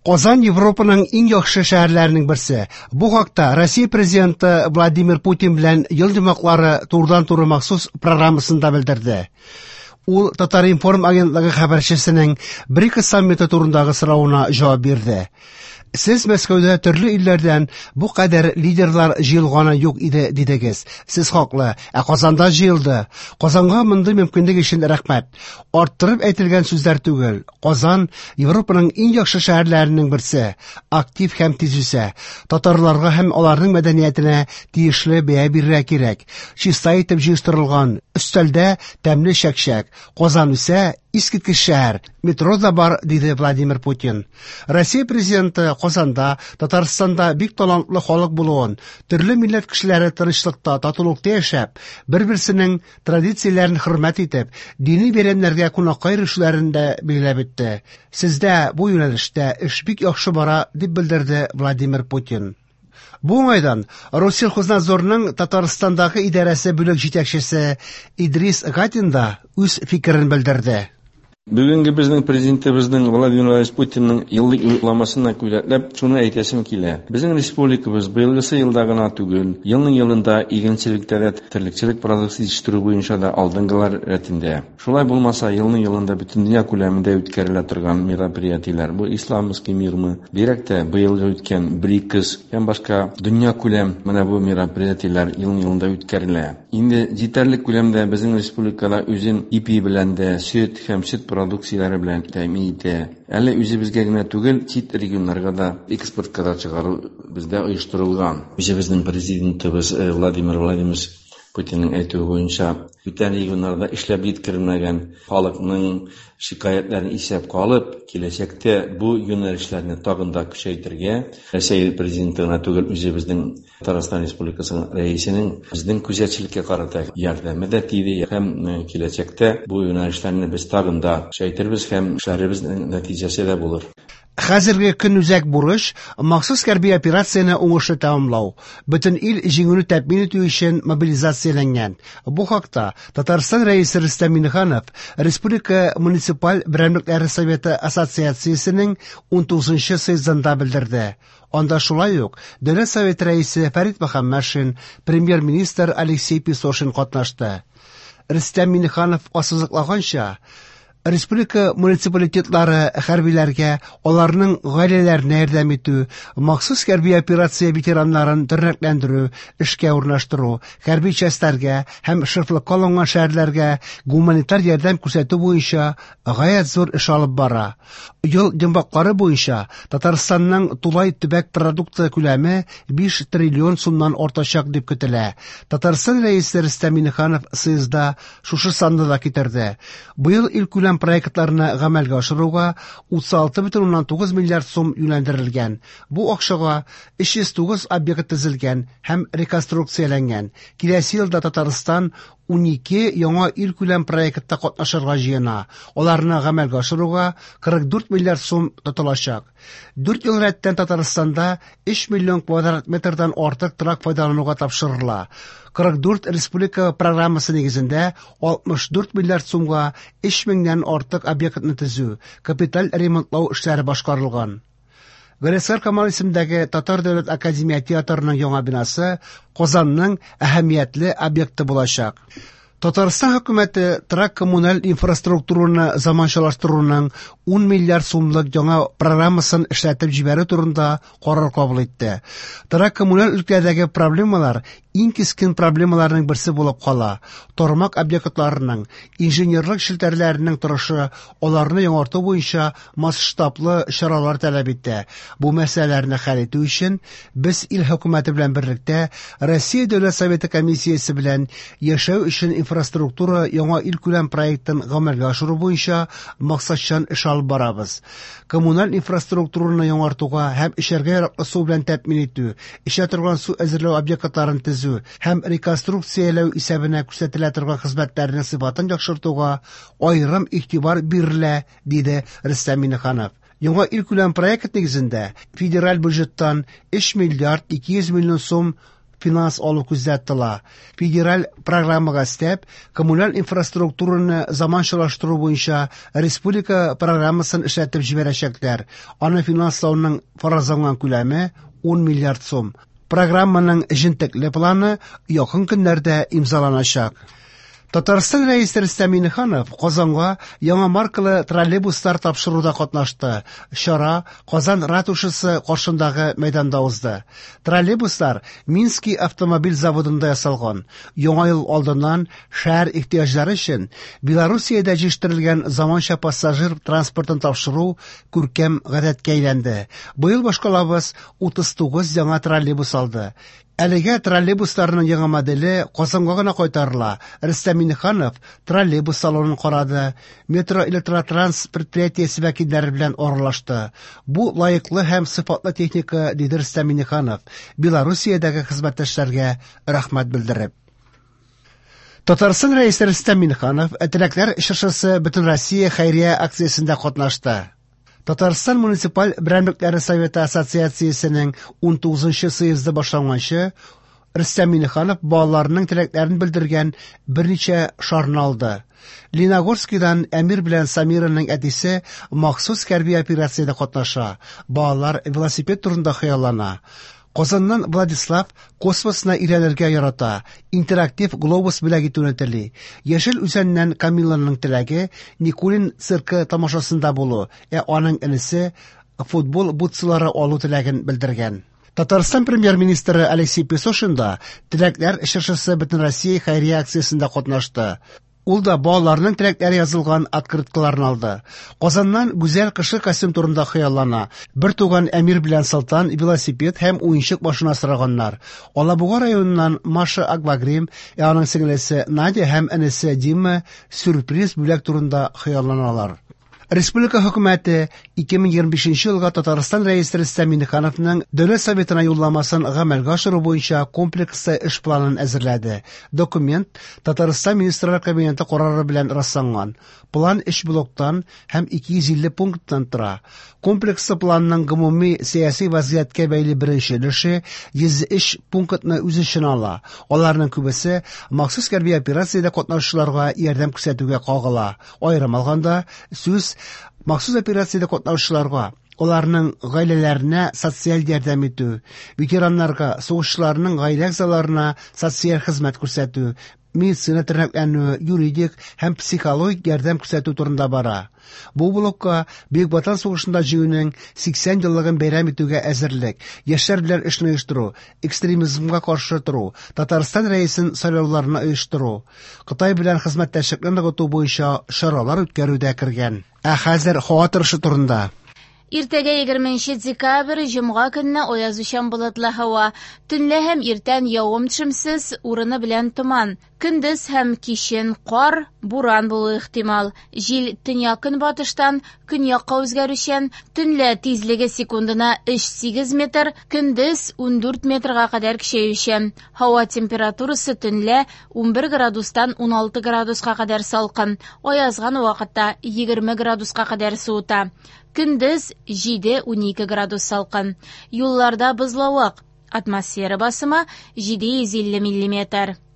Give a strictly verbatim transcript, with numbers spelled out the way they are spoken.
Казан Европаның иң яхшы шәһәрләренең берсе. Бу хакта Россия президенты Владимир Путин белән ел йомгаклары турыдан-туры махсус программасында белдерде. Ул Татар-информ агентлыгы хәбәрчесенең БРИКС саммиты турындагы соравына җавап бирде. Сез Мәскәүдә төрле илләрдән бу кадәр лидерлар җыелганы юк иде дидегез. Сез хаклы, ә Казанда җыелды. Казанга мондый мөмкинлек өчен рәхмәт. Арттырып әйтелгән сүзләр түгел. Казан Европаның иң яхшы шәһәрләренең берсе. Актив һәм тиз үсә. Татарларга һәм аларның мәдәниятенә тиешле бәя бирергә кирәк. Чиста итеп җыештырылган өстәлдә тәмле чәкчәк. Казан үсә, искиткеч шәһәр. Метро да бар, диде Владимир Путин. Россия президенты Казанда, Татарстанда бик талантлы халык булуын, төрле милләт кешеләре тынычлыкта, татулыкта яшәп, бер-берсенең традицияләрен хөрмәт итеп, дини бәйрәмнәргә кунакка йөрүчеләрен дә билгеләп үтте. Сездә бу юнәлештә эш бик яхшы бара, дип белдерде Владимир Путин. Бу уңайдан Россельхознадзорның Татарстандагы идарәсе бүлек җитәкчесе Идрис Гатин да үз фикерен белдерде. Бүгенге безнең президентыбызның Владимир Владимирович Путинның еллык юлламасына күзәтләп шуны әйтәсем килә. Безнең республикабыз быелгысы елда гына түгел, елның елында игенчелектә дә, терлекчелек продукция җитештерү буенча да алдынгылар рәтендә. Шулай булмаса, елның елында бөтен дөнья күләмендә үткәрелә торган мероприятиеләр, бу Исламский мирмы, бигрәк тә быелгы үткән БРИКС һәм башка дөнья күләм менә бу мероприятиеләр елның елында үткәрелә. Инде җитәрлек күләмдә безнең республикада үзен ипи белән дә, сөт һәм сөт продукцияләре белән тәэмин итә. Әле үзебезгә генә түгел, чит регионнарга да экспортка да чыгару бездә оештырылган. Үзебезнең президентыбыз Владимир Владимирович Путинның әйтүе буенча, бүтән регионнарда эшләп җиткерелмәгән халыкның шикаятьләрен исәпкә алып, киләчәктә бу юнәлешләрне тагын да көчәйтергә, Рәсәй президенты гына түгел, үзебезнең Татарстан Республикасының рәисенең безнең күзәтчелеккә карата ярдәме дә тиде һәм киләчәктә бу юнәлешләрне без тагын да көчәйтербез һәм эшләребезнең нәтиҗәсе дә булыр. Хәзерге көн үзәк бурыч махсус хәрби операцияне уңышлы тәмамлау. Бөтен ил җиңүне тәэмин итү өчен мобилизацияләнгән. Бу хакта Татарстан Рәисе Рөстәм Миңнеханов Республика муниципаль берәмлекләре советы ассоциациясенең унтугызынчы съездында белдерде. Анда шулай ук Дәүләт Советы рәисе Фәрит Мөхәммәтшин, премьер-министр Алексей Песошин катнашты. Рөстәм Миңнеханов ассызыклаганча, республика муниципалитетлары хәрбиләргә, аларның гаиләләренә ярдәм итү, махсус хәрби операция ветераннарын тернәкләндерү, эшкә урнаштыру, хәрби частьләргә һәм шефлыкка алынган шәһәрләргә гуманитар ярдәм күрсәтү буенча гаять зур эш алып бара. Ел йомгаклары буенча Татарстанның тулай төбәк продукты күләме биш триллион сумнан артачак дип көтелә. Татарстан Рәисе Рөстәм Миңнеханов съездда шушы санны да китерде. Быел илкүләм проектларны гамәлгә ашыруга утыз алты бөтен уннан тугыз миллиард сум юнәлдерелгән. Бу акчага өч йөз тугыз объект төзелгән һәм реконструкцияләнгән. Киләсе елда Татарстан унике яңа илкүләм проектта катнашырга җыена. Аларны гамәлгә ашыруга кырык дүрт миллиард сум тотылачак. Дүрт ел рәттән Татарстанда өч миллион квадрат метрдан артык торак файдалануга тапшырыла. Кырык дүрт республика программасы нигезендә алтмыш дүрт миллиард сумга өч меңнән артык объектны төзү, капиталь ремонтлау эшләре башкарылган. Галиәсгар Камал исемендәге Татар дәүләт академия театрының яңа бинасы Казанның әһәмиятле объекты булачак. Татарстан хөкүмәте торак коммуналь инфраструктураны заманчалаштыруның ун миллиард сумлык яңа программасын эшләтеп җибәрү турында карар кабул итте. Торак коммуналь өлкәдәге проблемалар иң кискен проблемаларның берсе булып кала. Тармак объектларының, инженерлык челтәрләренең торышы аларны яңарту буенча масштаблы чаралар таләп итә. Бу мәсьәләләрне хәл итү өчен без ил хөкүмәте белән берлектә Россия Дәүләт Советы комиссиясе белән яшәү өчен инфраструктура яңа илкүләм проектын гамәлгә ашыру буенча максатчан эш алып барабыз. Коммуналь инфраструктураны яңартуга һәм эчәргә яраклы су белән тәэмин итү, эчә торган су әзерләү объектларын төзү һәм реконструкцияләү исәбенә күрсәтелә торган хезмәтләрнең сыйфатын яхшыртуга аерым игътибар бирелә, диде Рөстәм Миңнеханов. Яңа илкүләм проект нигезендә федераль бюджеттан өч миллиард ике йөз миллион сум финанс алу күздә тотыла. Федераль программага өстәп, коммуналь инфраструктураны заманчалаштыру буенча республика программасын эшләтеп җибәрәчәкләр. Аны финанслауның фаразланган күләме ун миллиард сум. Программаның җентекле планы якын көннәрдә имзаланачак. Татарстан Рәисе Рөстәм Миңнеханов Казанга яңа маркалы троллейбуслар тапшыруда катнашты. Чара Казан ратушасы каршындагы мәйданда узды. Троллейбуслар Минский автомобиль заводында ясалган. Яңа ел алдыннан шәһәр ихтыяҗлары өчен Белоруссиядә җитештерелгән заманча пассажир транспортын тапшыру күркәм гадәткә әйләнде. Быел башкалабыз утыз тугыз яңа троллейбус алды. Әлегә троллейбусларның яңа моделе Казанга гына кайтарыла. Рөстәм Миңнеханов троллейбус салонын карады, метро электротранс предприятиесе вәкилләре белән аралашты. Бу лаеклы һәм сыйфатлы техника, диде Рөстәм Миңнеханов, Белоруссиядәге хезмәттәшләргә рәхмәт белдереп. Татарстан Рәисе Рөстәм Миңнеханов Теләкләр чыршысы Бөтенроссия хәйрия акциясендә катнашты. Татарстан муниципаль берәмлекләре советы ассоциациясенең ун тугызынчы съезды башланганчы Рөстәм Миңнеханов балаларының теләкләрен белдергән берничә шарны алды. Леногорскидан Әмир белән Самираның әтисе махсус хәрби операциядә катнаша. Балалар велосипед турында хыяллана. Казаннан Владислав космосны өйрәнергә ярата, интерактив глобус бүләк итүне тели. Яшел Үзәннән Камиланың теләге Никулин циркы тамашасында булу, ә аның энесе футбол бутсылары алу теләген белдергән. Татарстан премьер-министры Алексей Песошин да Теләкләр чыршысы Бөтенроссия хәйрия акциясендә катнашты. Ул да балаларның теләкләре язылган открыткаларын алды. Казаннан Гүзәл кышкы костюм турында хыяллана. Бер туган Әмир белән Солтан велосипед һәм уенчык машина сораганнар. Алабуга районыннан Маша Аквагрим, ә аның сеңлесе Надя һәм энесе Дима сюрприз бүләк турында хыялланалар. Республика хөкүмәте ике мең егерме бишенче елга Татарстан Рәисе Рөстәм Миңнехановның Дәүләт Советына юлламасын гамәлгә ашыру буенча комплекслы эш планын әзерләде. Документ Татарстан Министрлар Кабинеты карары белән расланган. План өч блоктан һәм ике йөз илле пункттан тора. Комплекслы планның гомуми сәяси вазгыятькә бәйле беренче өлеше йөз өч пунктны үз эченә ала. Аларның күбесе махсус хәрби операциядә катнашучыларга ярдәм күрсәтүгә кагыла. Аерым алганда, сүз махсус операциядә катнашучыларга, аларның гаиләләренә социаль ярдәм итү, ветераннарга, сугышчыларның гаилә әгъзаларына социаль хезмәт күрсәтү, медицина тернәкләнү, юридик һәм психологик ярдәм күрсәтү турында бара. Бу блокка Бөек Ватан сугышында җиңүнең сиксән еллыгын бәйрәм итүгә әзерлек, яшьләр белән эшне оештыру, экстремизмга каршы тору, Татарстан Рәисен сайлауларны оештыру, Кытай белән хезмәттәшлекне ныгыту буенча чаралар үткәрү дә кергән. Ә хәзер һава торышы турында. Иртәгә егерменче декабрь, җомга көнне аязучан болытлы һава. Төнлә һәм иртән явым-төшемсез, урыны белән томан. Көндез һәм кичен кар, буран булуы ихтимал. Җил төньяк-көнбатыштан көньякка үзгәрүчән, төнлә тизлеге секундына өч сигез метр, көндез ундүрт метрга кадәр көчәючән. Һава температурасы төнлә унбер градустан уналты градуска кадәр салкын, аязган вакытта егерме градуска кадәр суыта. Көндез җиде унике градус салкын. Юлларда бозлавык. Атмосфера басымы җиде йөз илле миллиметр.